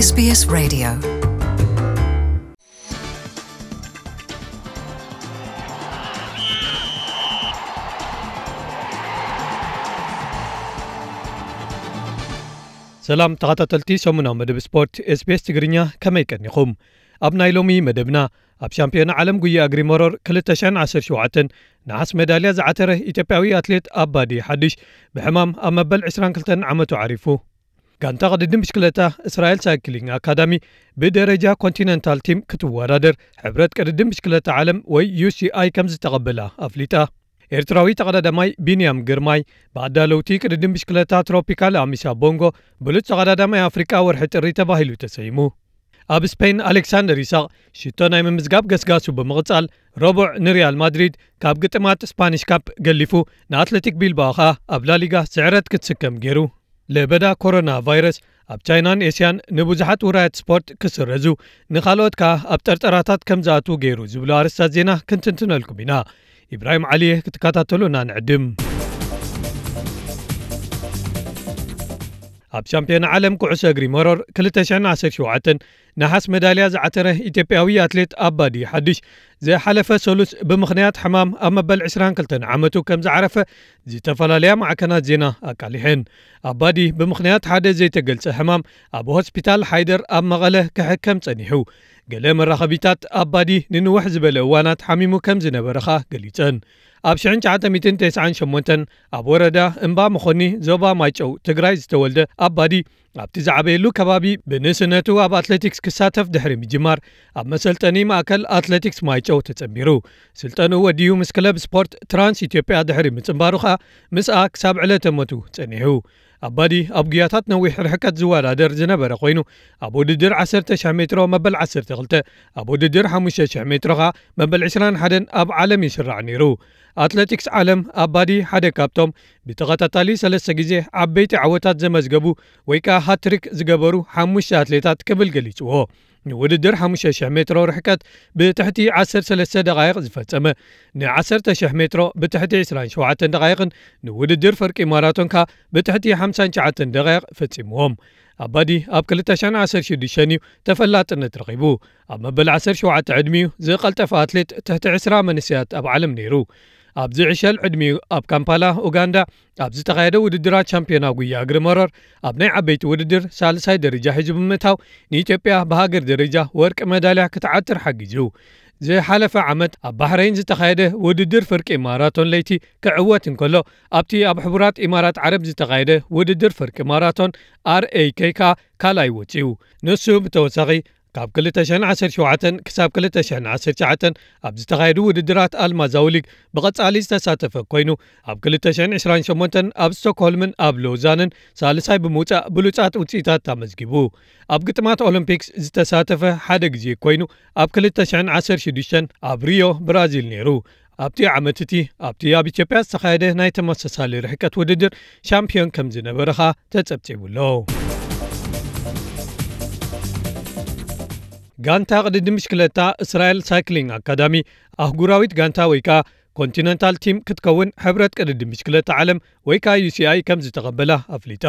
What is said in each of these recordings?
SBS Radio. ሰላም ተኸታተልቲ ሰሙናዊ መደብ ስፖርት SBS ትግርኛ፣ ከመይ ቀኒኹም? ኣብ ናይ ሎሚ መደብና፣ ኣብ ሻምፒዮና ዓለም ጉያ እግሪ መሮር ክልተ ሽሕን ዓሰርተ ሸውዓተን ነሓስ ሜዳልያ ዝዓተረ ኢትዮጵያዊ ኣትሌት ኣባዲ ሓድሽ ብሕማም ኣብ መበል ዕስራን ክልተን ዓመቱ ዓሪፉ። ጋንታ ቅድድም ብሽክለታ እስራኤል ሳይክሊንግ ኣካዳሚ ብደረጃ ኮንቲነንታል ቲም ክትወዳደር ሕብረት ቅድድም ብሽክለታ ዓለም ወይ ዩ ሲ ኣይ ከም ዝተቐበላ ኣፍሊጣ። ኤርትራዊ ተቐዳዳማይ ቢንያም ግርማይ ብኣዳለውቲ ቅድድም ብሽክለታ ትሮፒካል ኣሚሳ ቦንጎ ብሉጽ ተቐዳዳማይ ኣፍሪቃ ወርሒ ጥሪ ተባሂሉ ተሰይሙ። ኣብ ስፔን ኣሌክሳንደር ኢሳቕ ሽቶ ናይ ምምዝጋብ ገስጋሱ ብምቕጻል፣ ረቡዕ ንሪያል ማድሪድ ካብ ግጥማት ስፓኒሽ ካፕ ገሊፉ፣ ንኣትሌቲክ ቢልባኦ ኸኣ ኣብ ላሊጋ ስዕረት ክትስከም ገይሩ። ለበዳ ኮሮና ቫይረስ ኣብ ቻይናን ኤስያን ንብዙሓት ውራያት ስፖርት ክስረዙ፣ ንኻልኦት ከኣ ኣብ ጠርጠራታት ከም ዝኣትዉ ገይሩ ዝብሉ ኣርእስታት ዜና ክንትንትነልኩም ኢና። ኢብራሂም ዓሊየ ክትከታተሉና ንዕድም። ኣብ ሻምፒዮና ዓለም ኩዕሶ እግሪ መሮር ክልተ ሽሕን ዓሰርተ ሸውዓተን ነሓስ መዳልያ ዝዓተረ ኢትዮጵያዊ ኣትሌት ኣባዲ ሓድሽ ዝሓለፈ ሰሉስ ብምኽንያት ሕማም ኣብ መበል ዕስራን ክልተን ዓመቱ ከም ዝዓረፈ ዝተፈላለያ ማዕከናት ዜና ኣቃሊሐን። ኣባዲ ብምኽንያት ሓደ ዘይተገልጸ ሕማም ኣብ ሆስፒታል ሓይደር ኣብ መቐለ ክሕከም ጸኒሑ። ገለ መራኸቢታት ኣባዲ ንንውሕ ዝበለ እዋናት ሓሚሙ ከም ዝነበረ ኸኣ ገሊጸን። ኣብ ሽሕን ትሽዓተ ሚእትን ተስዓን ሸሞንተን ኣብ ወረዳ እምባ መኾኒ ዞባ ማይጨው ትግራይ ዝተወልደ ኣባዲ፣ ኣብቲ ዝዓበየሉ ከባቢ ብንእስነቱ ኣብ ኣትሌቲክስ ክሳተፍ ድሕሪ ምጅማር፣ ኣብ መሰልጠኒ ማእከል ኣትሌቲክስ ማይጨው ተጸንቢሩ። ስልጠንኡ ወዲኡ ምስ ክለብ ስፖርት ትራንስ ኢትዮጵያ ድሕሪ ምጽንባሩ ኸኣ ምስኣ ክሳብ ዕለተ ሞቱ ጸኒሑ። ኣባዲ ኣብ ጉያታት ነዊሕ ርሕቀት ዝወዳደር ዝነበረ ኮይኑ፣ ኣብ ውድድር ዓሰርተ ሽሕ ሜትሮ መበል ዓሰርተ ክልተ፣ ኣብ ውድድር ሓሙሽተ ሽሕ ሜትሮ ኸኣ መበል ዕስራን ሓደን ኣብ ዓለም ይስራዕ ነይሩ። ኣትሌቲክስ ዓለም ኣባዲ ሓደ ካብቶም ብተኸታታሊ ሰለስተ ግዜ ዓበይቲ ዓወታት ዘመዝገቡ ወይ ከኣ ሃትሪክ ዝገበሩ ሓሙሽተ ኣትሌታት ክብል ገሊጽዎ። ንውድድር ሓሙሽተ ሽሕ ሜትሮ ርሕቀት ብትሕቲ ዓሰርተ ሰለስተ ደቓይቕ ዝፈጸመ፣ ንዓሰርተ ሽሕ ሜትሮ ብትሕቲ ዕስራን ሸውዓተን ደቓይቕን ንውድድር ፍርቂ ማራቶን ከኣ ብትሕቲ ሓምሳን ትሽዓተን ደቓይቕ ፈጺምዎም። ኣባዲ ኣብ ክልተ ሽሕን ዓሰርተ ሽዱሽተን እዩ ተፈላጥነት ረኺቡ። ኣብ መበል ዓሰርተ ሸውዓተ ዕድሚኡ ዝቐልጠፈ ኣትሌት ትሕቲ ዕስራ መንእሰያት ኣብ ዓለም ነይሩ። ኣብዚ ዕሸል ዕድሚኡ ኣብ ካምፓላ፣ ኡጋንዳ፣ ኣብ ዝተኻየደ ውድድራት ቻምፒዮና ጉያ እግሪ መሮር ኣብ ናይ ዓበይቲ ውድድር ሳልሳይ ደረጃ ሒዙ ብምእታው ንኢትዮጵያ ብሃገር ደረጃ ወርቂ መዳልያ ክትዓትር ሓጊዙ። ዝሓለፈ ዓመት ኣብ ባሕረይን ዝተኻየደ ውድድር ፍርቂ ማራቶን ለይቲ ክዕወት እንከሎ፣ ኣብቲ ኣብ ሕቡራት ኢማራት ዓረብ ዝተኻየደ ውድድር ፍርቂ ማራቶን ኣር ኤ ኬ ከኣ ካልኣይ ወጺኡ። ንሱ ብተወሳኺ ካብ ክልተ ሽሕን ዓሰርተ ሸውዓተን ክሳብ ክልተ ሽሕን ዓሰርተ ትሽዓተን ኣብ ዝተኻየዱ ውድድራት ኣልማዛዊ ሊግ ብቐጻሊ ዝተሳተፈ ኮይኑ፣ ኣብ ክልተ ሽሕን ዕስራን ሸሞንተን ኣብ ስቶክሆልምን ኣብ ሎዛንን ሳልሳይ ብምውጻእ ብሉጻት ውጽኢታት ኣመዝጊቡ። ኣብ ግጥማት ኦሎምፒክስ ዝተሳተፈ ሓደ ግዜ ኮይኑ፣ ኣብ ክልተ ሽሕን ዓሰርተ ሽዱሽተን ኣብ ሪዮ ብራዚል ነይሩ። ኣብቲ ዓመት እቲ ኣብቲ ኣብ ኢትዮጵያ ዝተኻየደ ናይ ተመሳሳሊ ርሕቀት ውድድር ሻምፒዮን ከም ዝነበረ ኸኣ ተጸብጺቡ ኣሎ። ጋንታ ቅድድም ብሽክለታ እስራኤል ሳይክሊንግ ኣካዳሚ ኣህጉራዊት ጋንታ ወይ ከኣ ኮንቲነንታል ቲም ክትከውን ሕብረት ቅድድም ብሽክለታ ዓለም ወይ ከኣ ዩ ሲ ኣይ ከም ዝተቐበላ ኣፍሊጣ።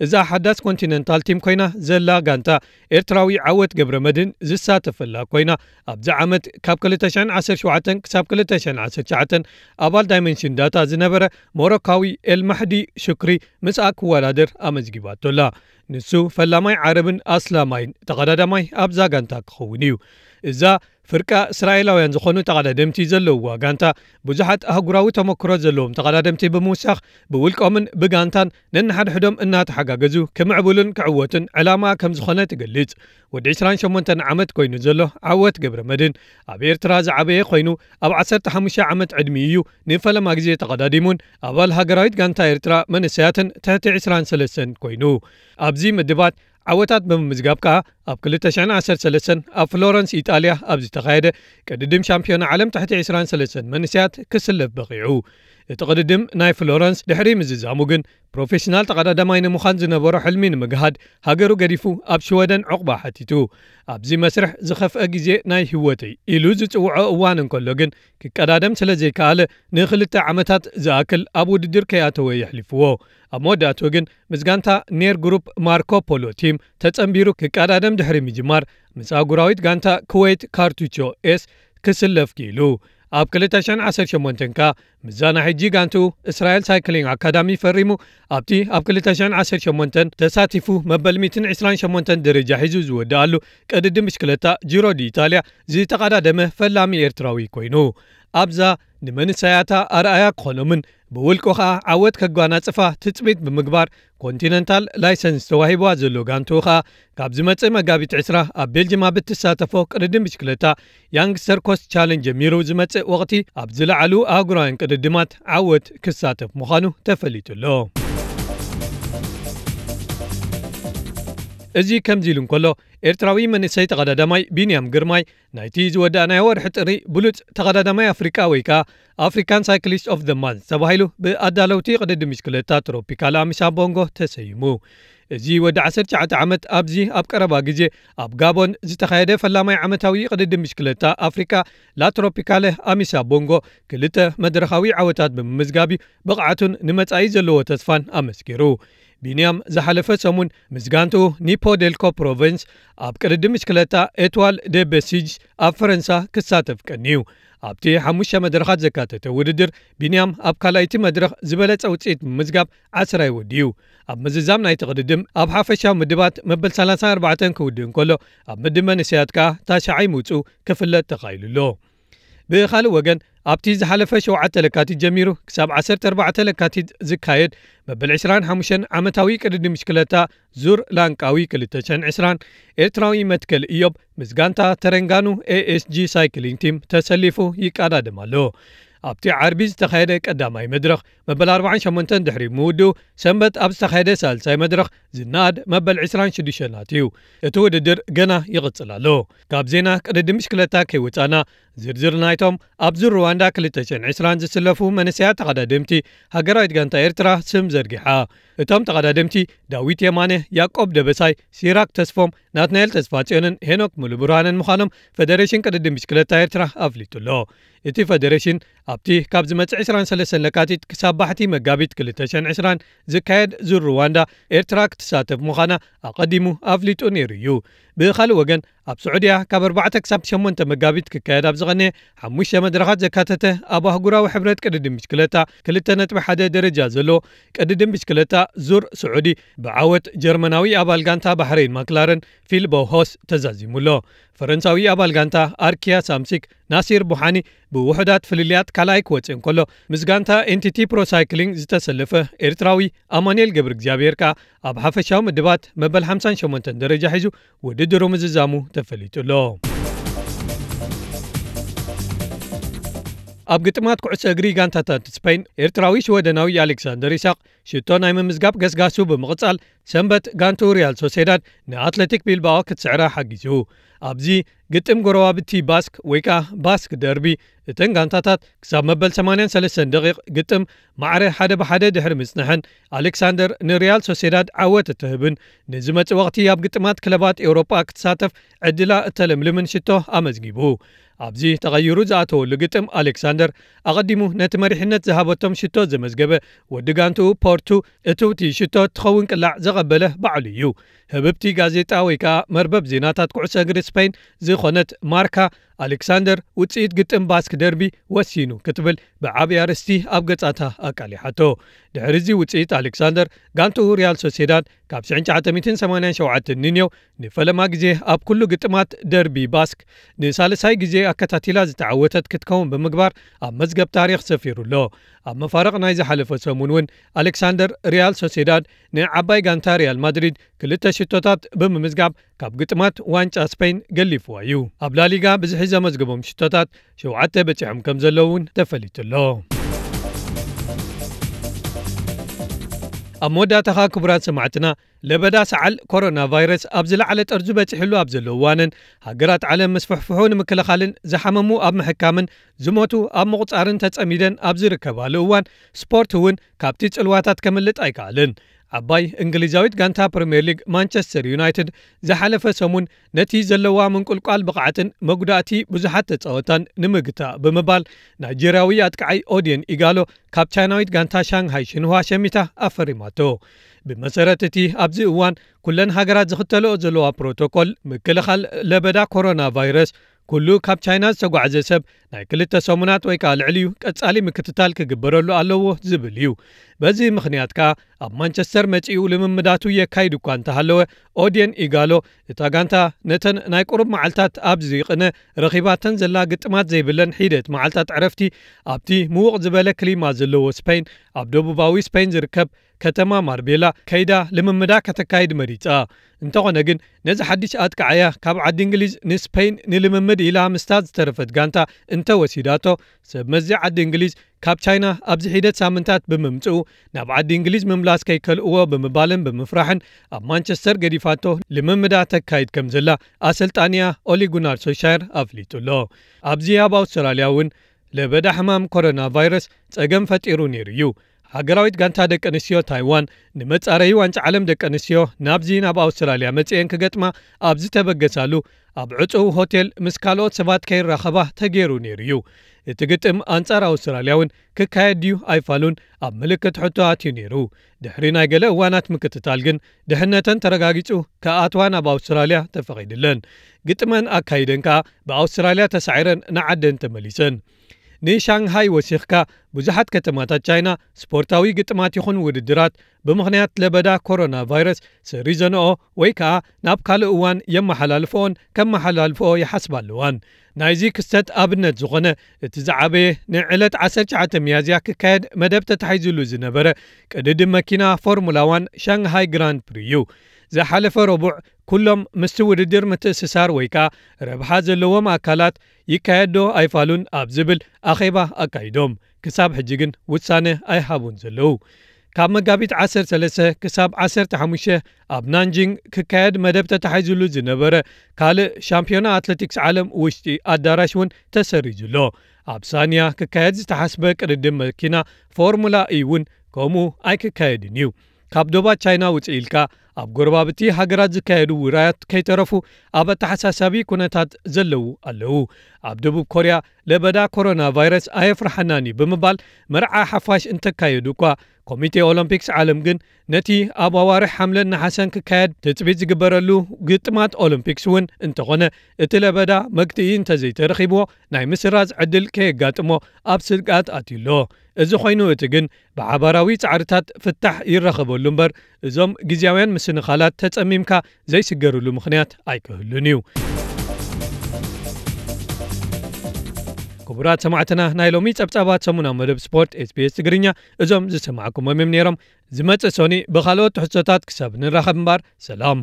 እዛ ሓዳስ ኮንቲነንታል ቲም ኮይና ዘላ ጋንታ ኤርትራዊ ዓወት ገብረ መድህን ዝሳተፈላ ኮይና፣ ኣብዚ ዓመት ካብ ክልተ ሽሕን ዓሰርተ ሸውዓተን ክሳብ ክልተ ሽሕን ዓሰርተ ትሽዓተን ኣባል ዳይመንሽን ዳታ ዝነበረ ሞሮካዊ ኤልማሕዲ ሹክሪ ምስኣ ክወዳደር ኣመዝጊባቶ ኣላ። ንሱ ፈላማይ ዓረብን ኣስላማይን ተቐዳዳማይ ኣብዛ ጋንታ ክኸውን እዩ። እዛ ፍርቃ እስራኤላውያን ዝኾኑ ተቐዳደምቲ ዘለውዋ ጋንታ፣ ብዙሓት ኣህጉራዊ ተመክሮ ዘለዎም ተቐዳደምቲ ብምውሳኽ፣ ብውልቆምን ብጋንታን ነንሓድሕዶም እናተሓጋገዙ ክምዕብሉን ክዕወቱን ዕላማ ከም ዝኾነ ትገልጽ። ወዲ ዕስራን ሸሞንተን ዓመት ኮይኑ ዘሎ ዓወት ገብረ መድህን፣ ኣብ ኤርትራ ዝዓበየ ኮይኑ፣ ኣብ ዓሰርተ ሓሙሽተ ዓመት ዕድሚኡ እዩ ንፈለማ ግዜ ተቐዳዲሙን ኣባል ሃገራዊት ጋንታ ኤርትራ መንእሰያትን ትሕቲ ዕስራን ሰለስተን ኮይኑ። ኣብዚ ምድባት ዓወታት ብምምዝጋብ ከኣ፣ ኣብ ክልተ ሽሕን ዓሰርተ ሰለስተን ኣብ ፍሎረንስ ኢጣልያ ኣብ ዝተኻየደ ቅድድም ሻምፒዮና ዓለም ትሕቲ ዕስራን ሰለስተን መንእሰያት ክስለፍ በቒዑ። እቲ ቅድድም ናይ ፍሎረንስ ድሕሪ ምዝዛሙ ግን፣ ፕሮፌሽናል ተቐዳዳማይ ንምዃን ዝነበሮ ሕልሚ ንምግሃድ፣ ሃገሩ ገዲፉ ኣብ ሽወደን ዕቑባ ሓቲቱ። ኣብዚ መስርሕ ዝኸፍአ ግዜ ናይ ህይወተይ ኢሉ ዝጽውዖ እዋን እንከሎ ግን፣ ክቀዳደም ስለ ዘይከኣለ፣ ንኽልተ ዓመታት ዝኣክል ኣብ ውድድር ከይኣተወ የሕሊፍዎ። ኣብ መወዳእትኡ ግን፣ ምስ ጋንታ ኔር ግሩፕ ማርኮ ፖሎ ቲም ተጸንቢሩ ክቀዳደም ድሕሪ ምጅማር፣ ምስ ኣህጉራዊት ጋንታ ኩዌት ካርቱቾ ኤስ ክስለፍ ክኢሉ። ኣብ ክልተ ሽሕን ዓሰርተ ሸሞንተን ከኣ ምስዛ ናይ ሕጂ ጋንትኡ እስራኤል ሳይክሊንግ ኣካዳሚ ፈሪሙ፣ ኣብቲ ኣብ ክልተ ሽሕን ዓሰርተ ሸሞንተን ተሳቲፉ መበል ሚእትን ዕስራን ሸሞንተን ደረጃ ሒዙ ዝወደኣሉ ቅድድም ብሽክለታ ጂሮ ዲኢጣልያ ዝተቐዳደመ ፈላሚ ኤርትራዊ ኮይኑ። ኣብዛ ንመንሰያታ ኣርኣያ ክኾኖምን ብውልቁ ኸኣ ዓወት ከጓናጽፋ ትጽቢት ብምግባር፣ ኮንቲነንታል ላይሰንስ ተዋሂብዋ ዘሎ ጋንትኡ ኸኣ፣ ካብ ዝመጽእ መጋቢት ዕስራ ኣብ ቤልጅም ኣብ እትሳተፎ ቅድድም ብሽክለታ ያንግስተር ኮስት ቻለንጅ ጀሚሩ ዝመጽእ ወቕቲ፣ ኣብ ዝለዓሉ ኣህጉራውያን ቅድድማት ዓወት ክሳተፍ ምዃኑ ተፈሊጡ ኣሎ። እዚ ከምዚ ኢሉ እንከሎ፣ ኤርትራዊ መንእሰይ ተቐዳዳማይ ቢንያም ግርማይ፣ ናይቲ ዝወዳእናዮ ወርሒ ጥሪ ብሉጽ ተቐዳዳማይ ኣፍሪቃ ወይ ከኣ ኣፍሪካን ሳይክሊስት ኦፍ ዘ ማንዝ ተባሂሉ ብኣዳለውቲ ቅድድም ብሽክለታ ትሮፒካል ኣሚሳ ቦንጎ ተሰይሙ። እዚ ወዲ ዓሰርተ ትሽዓተ ዓመት ኣብዚ ኣብ ቀረባ ግዜ ኣብ ጋቦን ዝተኻየደ ፈላማይ ዓመታዊ ቅድድም ብሽክለታ ኣፍሪቃ ላ ትሮፒካለ ኣሚሳ ቦንጎ ክልተ መድረኻዊ ዓወታት ብምምዝጋብ እዩ ብቕዓቱን ንመጻኢ ዘለዎ ተስፋን ኣመስኪሩ። ቢንያም ዝሓለፈ ሰሙን ምስ ጋንትኡ ኒፖ ዴልኮ ፕሮቨንስ ኣብ ቅድድም ብሽክለታ ኤትዋል ደ በሲጅ ኣብ ፈረንሳ ክሳተፍ ቀንዩ። ኣብቲ ሓሙሽተ መድረኻት ዘካተተ ውድድር፣ ቢንያም ኣብ ካልኣይቲ መድረኽ ዝበለጸ ውጽኢት ብምምዝጋብ ዓስራይ ወዲኡ። ኣብ ምዝዛም ናይቲ ቅድድም ኣብ ሓፈሻዊ ምድባት መበል ሰላሳን ኣርባዕተን ክውድእ እንከሎ፣ ኣብ ምድብ መንእሰያት ከኣ ታሽዓይ ምውጽኡ ክፍለጥ ተኻኢሉ ኣሎ። ብኻልእ ወገን፣ ኣብቲ ዝሓለፈ ሸውዓተ ለካቲት ጀሚሩ ክሳብ ዓሰርተ ኣርባዕተ ለካቲት ዝካየድ መበል ዕስራን ሓሙሽተን ዓመታዊ ቅድድም ብሽክለታ ዙር ላንቃዊ ክልተ ሽሕን ዕስራን፣ ኤርትራዊ መትከል ኢዮብ ምስ ጋንታ ተረንጋኑ ኤ ኤስ ጂ ሳይክሊንግ ቲም ተሰሊፉ ይቀዳደም ኣሎ። ኣብቲ ዓርቢ ዝተኻየደ ቀዳማይ መድረኽ መበል ኣርባዓን ሸሞንተን ድሕሪ ምውድኡ፣ ሰንበት ኣብ ዝተኻየደ ሳልሳይ መድረኽ ዝነኣድ መበል ዕስራን ሽዱሽተን ኣትዩ። እቲ ውድድር ገና ይቕጽል ኣሎ። ካብ ዜና ቅድድም ብሽክለታ ከይወጻና፣ ዝርዝር ናይቶም ኣብ ዙር ሩዋንዳ ክልተ ሽሕን ዕስራን ዝስለፉ መንእሰያት ተቐዳደምቲ ሃገራዊት ጋንታ ኤርትራ ስም ዘርጊሓ። እቶም ተቐዳደምቲ ዳዊት የማነ፣ ያዕቆብ ደበሳይ፣ ሲራክ ተስፎም፣ ናትናኤል ተስፋጽዮንን ሄኖክ ሙሉብርሃንን ምዃኖም ፈደሬሽን ቅድድም ብሽክለታ ኤርትራ ኣፍሊጡ ኣሎ። እቲ ፈደሬሽን ኣብቲ ካብ ዝመጽእ ዕስራን ሰለስተን ለካቲት ክሳብ ባሕቲ መጋቢት ክልተ ሽሕን ዕስራን ዝካየድ ዙር ሩዋንዳ ኤርትራ ክትሳተፍ ምዃና ኣቐዲሙ ኣፍሊጡ ነይሩ እዩ። ብኻልእ ወገን፣ ኣብ ስዑድያ ካብ ኣርባዕተ ክሳብ ሸሞንተ መጋቢት ክካየድ ኣብ ዝቐነየ ሓሙሽተ መድረኻት ዘካተተ ኣብ ኣህጉራዊ ሕብረት ቅድድም ብሽክለታ ክልተ ነጥቢ ሓደ ደረጃ ዘሎ ቅድድም ብሽክለታ ዙር ስዑዲ ብዓወት ጀርመናዊ ኣባል ጋንታ ባሕሬን ማክላረን ፊል ቦሆስ ተዛዚሙ ኣሎ። ፈረንሳዊ ኣባል ጋንታ ኣርኪያ ሳምሲክ ናሲር ቡሓኒ ብውሑዳት ፍልልያት ካልኣይ ክወጽእ እንከሎ፣ ምስ ጋንታ ኤንቲቲ ፕሮ ሳይክሊንግ ዝተሰለፈ ኤርትራዊ ኣማኑኤል ገብረ እግዚኣብሔር ከኣ ኣብ ሓፈሻዊ ምድባት መበል ሓምሳን ሸሞንተን ደረጃ ሒዙ ውድድሩ ምዝዛሙ ተፈሊጡ ኣሎ። ኣብ ግጥማት ኩዕሶ እግሪ ጋንታታት ስፔን፣ ኤርትራዊ ሽወደናዊ ኣሌክሳንደር ኢሳቕ ሽቶ ናይ ምምዝጋብ ገስጋሱ ብምቕጻል፣ ሰንበት ጋንቱ ሪያል ሶሴዳድ ንኣትሌቲክ ቢልባኦ ክትስዕራ ሓጊዙ። ኣብዚ ግጥም ጎረባብቲ ባስክ ወይ ከኣ ባስክ ደርቢ፣ እተን ጋንታታት ክሳብ መበል ሰማንያን ሰለስተን ደቂቕ ግጥም ማዕረ ሓደ ብሓደ ድሕሪ ምጽንሐን፣ ኣሌክሳንደር ንሪያል ሶሴዳድ ዓወት እትህብን ንዝመጽእ ወቕቲ ኣብ ግጥማት ክለባት ኤውሮጳ ክትሳተፍ ዕድላ እተለምልምን ሽቶ ኣመዝጊቡ። ኣብዚ ተቐይሩ ዝኣተወሉ ግጥም፣ ኣሌክሳንደር ኣቐዲሙ ነቲ መሪሕነት ዝሃበቶም ሽቶ ዘመዝገበ ወዲ ጋንትኡ ፖርቱ፣ እትውቲ ሽቶ እትኸውን ቅላዕ ዘቐበለ ባዕሉ እዩ። ህብብቲ ጋዜጣ ወይ ከኣ መርበብ ዜናታት ኩዕሶ እግሪ ስፔን ዝኾነት ማርካ፣ ኣሌክሳንደር ውጽኢት ግጥም ባስክ ደርቢ ወሲኑ ክትብል ብዓቢ ኣርእስቲ ኣብ ገጻታ ኣቃሊሓቶ። ድሕሪ እዚ ውጽኢት፣ ኣሌክሳንደር ጋንትኡ ሪያል ሶሴዳድ ካብ ሽሕን ትሽዓተ ሚእትን ሰማንያን ሸውዓተን ንንየው ንፈለማ ግዜ ኣብ ኩሉ ግጥማት ደርቢ ባስክ ንሳልሳይ ግዜ ኣከታቲላ ዝተዓወተት ክትከውን ብምግባር ኣብ መዝገብ ታሪኽ ሰፊሩ ኣሎ። ኣብ መፋርቕ ናይ ዝሓለፈ ሰሙን እውን ኣሌክሳንደር ሪያል ሶሴዳድ ንዓባይ ጋንታ ሪያል ማድሪድ ክልተ ሽቶታት ብምምዝጋብ ካብ ግጥማት ዋንጫ ስፔን ገሊፍዋ እዩ። ኣብ ላሊጋ ብዝሒ ዘመዝገቦም ሽቶታት ሸውዓተ በጺሖም ከም ዘለዉ እውን ተፈሊጡ ኣሎ። ኣብ መወዳእታኻ ክቡራት ሰማዕትና፣ ለበዳ ሰዓል ኮሮና ቫይረስ ኣብ ዝለዓለ ጠርዙ በጺሕሉ ኣብ ዘሎ እዋንን፣ ሃገራት ዓለም ምስፍሕፍሑ ንምክልኻልን ዝሓመሙ ኣብ ምሕካምን ዝሞቱ ኣብ ምቑጻርን ተጸሚደን ኣብ ዝርከባሉ እዋን፣ ስፖርት እውን ካብቲ ጽልዋታት ከምልጥ ኣይከኣልን። ዓባይ እንግሊዛዊት ጋንታ ፕሪምየር ሊግ ማንቸስተር ዩናይትድ ዝሓለፈ ሰሙን ነቲ ዘለዋ ምንቁልቋል ብቕዓትን መጉዳእቲ ብዙሓት ተጻወታን ንምግታእ ብምባል፣ ናይጄርያዊ ኣጥቃዓይ ኦድየን ኢጋሎ ካብ ቻይናዊት ጋንታ ሻንሃይ ሽንዋ ሸሚታ ኣፈሪማቶ። ብመሰረት እቲ ኣብዚ እዋን ኩለን ሃገራት ዝኽተልኦ ዘለዋ ፕሮቶኮል ምክልኻል ለበዳ ኮሮና ቫይረስ፣ ኩሉ ካብ ቻይና ዝተጓዕዘ ሰብ ናይ ክልተ ሰሙናት ወይ ከኣ ልዕሊኡ ቀጻሊ ምክትታል ክግበረሉ ኣለዎ ዝብል እዩ። በዚ ምኽንያት ከኣ ኣብ ማንቸስተር መጺኡ ልምምዳቱ የካይድ እኳ እንተሃለወ፣ ኦድየን ኢጋሎ እታ ጋንታ ነተን ናይ ቁሩብ መዓልታት ኣብ ዝይቕነ ረኺባተን ዘላ ግጥማት ዘይብለን ሒደት መዓልታት ዕረፍቲ ኣብቲ ምዉቕ ዝበለ ክሊማ ዘለዎ ስፔን፣ ኣብ ደቡባዊ ስፔን ዝርከብ ከተማ ማርቤላ ከይዳ ልምምዳ ከተካይድ መሪጻ። እንተኾነ ግን ነዚ ሓድሽ ኣጥቃዓያ ካብ ዓዲ እንግሊዝ ንስፔን ንልምምድ ኢላ ምስታ ዝተረፈት ጋንታ እንተወሲዳቶ፣ ሰብ መዚ ዓዲ እንግሊዝ ካብ ቻይና ኣብዚ ሒደት ሳምንታት ብምምጽኡ ናብ ዓዲ እንግሊዝ ምምላስ ከይከልእዎ ብምባልን ብምፍራሕን ኣብ ማንቸስተር ገዲፋቶ ልምምዳ ተካይድ ከም ዘላ ኣሰልጣኒያ ኦሊ ጉናር ሶልሻየር ኣፍሊጡ ኣሎ። ኣብዚ ኣብ ኣውስትራልያ እውን ለበዳ ሕማም ኮሮና ቫይረስ ጸገም ፈጢሩ ነይሩ እዩ። ሃገራዊት ጋንታ ደቂ ኣንስትዮ ታይዋን ንመጻረዪ ዋንጫ ዓለም ደቂ ኣንስትዮ ናብዚ ናብ ኣውስትራልያ መጺኤን ክገጥማ ኣብ ዝተበገሳሉ ኣብ ዕጹው ሆቴል ምስ ካልኦት ሰባት ከይራኸባ ተገይሩ ነይሩ እዩ። እቲ ግጥም ኣንጻር ኣውስትራልያ እውን ክካየድ ድዩ ኣይፋሉን ኣብ ምልክት ሕቶ ኣትዩ ነይሩ። ድሕሪ ናይ ገለ እዋናት ምክትታል ግን ድሕነተን ተረጋጊጹ ክኣትዋ ናብ ኣውስትራልያ ተፈቒድለን። ግጥመን ኣካይደን ከኣ ብኣውስትራልያ ተሳዒረን ንዓደን ተመሊሰን። ንሻንሃይ ወሲኽካ ብዙሓት ከተማታት ቻይና ስፖርታዊ ግጥማት ይኹን ውድድራት ብምኽንያት ለበዳ ኮሮና ቫይረስ ሰሪዘንኦ ወይ ከኣ ናብ ካልእ እዋን የመሓላልፍኦን ከመሓላልፍኦ ይሓስባ ኣለዋን። ናይዚ ክስተት ኣብነት ዝኾነ እቲ ዝዓበየ ንዕለት ዓሰርተ ትሽዓተ ሚያዝያ ክካየድ መደብ ተታሒዙሉ ዝነበረ ቅድድም መኪና ፎርሙላ ዋን ሻንሃይ ግራንድ ፕሪ እዩ። ዝሓለፈ ረቡዕ ኩሎም ምስቲ ውድድር ምትእስሳር ወይ ከኣ ረብሓ ዘለዎም ኣካላት ይካየድ ዶ ኣይፋሉን ኣብ ዝብል ኣኼባ ኣካይዶም። ክሳብ ሕጂ ግን ውሳነ ኣይሃቡን ዘለዉ። ካብ መጋቢት ዓሰርተ ሰለስተ ክሳብ ዓሰርተ ሓሙሽተ ኣብ ናንጂንግ ክካየድ መደብ ተታሒዙሉ ዝነበረ ካልእ ሻምፒዮና ኣትሌቲክስ ዓለም ውሽጢ ኣዳራሽ እውን ተሰሪዙ ኣሎ። ኣብ ሳንያ ክካየድ ዝተሓስበ ቅድድም መኪና ፎርሙላ ኢ እውን ከምኡ ኣይክካየድን እዩ። ካብ ዶባት ቻይና ውፅእ ኢልካ ኣብ ጎረባብቲ ሃገራት ዝካየዱ ውራያት ከይተረፉ ኣብ ኣተሓሳሳቢ ኩነታት ዘለዉ ኣለዉ። ኣብ ደቡብ ኮርያ ለበዳ ኮሮና ቫይረስ ኣየፍርሓናን እዩ ብምባል መርዓ ሓፋሽ እንተካየዱ እኳ ኮሚቴ ኦሎምፒክስ ዓለም ግን ነቲ ኣብ ኣዋርሕ ሓምለን ነሓሰን ክካየድ ትፅቢት ዝግበረሉ ግጥማት ኦሎምፒክስ እውን እንተኾነ እቲ ለበዳ መግትኢ እንተዘይተረኺብዎ ናይ ምስራዝ ዕድል ከየጋጥሞ ኣብ ስግኣት ኣትዩ ኣሎ። እዚ ኮይኑ እቲ ግን ብሓባራዊ ጻዕርታት ፍታሕ ይረኸበሉ እምበር እዞም ግዝያውያን ምስንኻላት ተጸሚምካ ዘይስገርሉ ምኽንያት ኣይክህሉን እዩ። ክቡራት ሰማዕትና ናይ ሎሚ ጸብጻባት ሰሙናዊ መደብ ስፖርት ኤስቢኤስ ትግርኛ እዞም ዝሰማዕኩሞም እዮም ነይሮም። ዝመጽእ ሶኒ ብኻልኦት ትሕዝቶታት ክሳብ ንራኸብ እምበር ሰላም።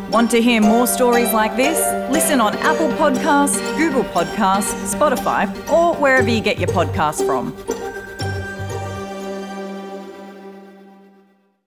Want to hear more stories like this? Listen on Apple Podcasts, Google Podcasts, Spotify, or wherever you get your podcasts from.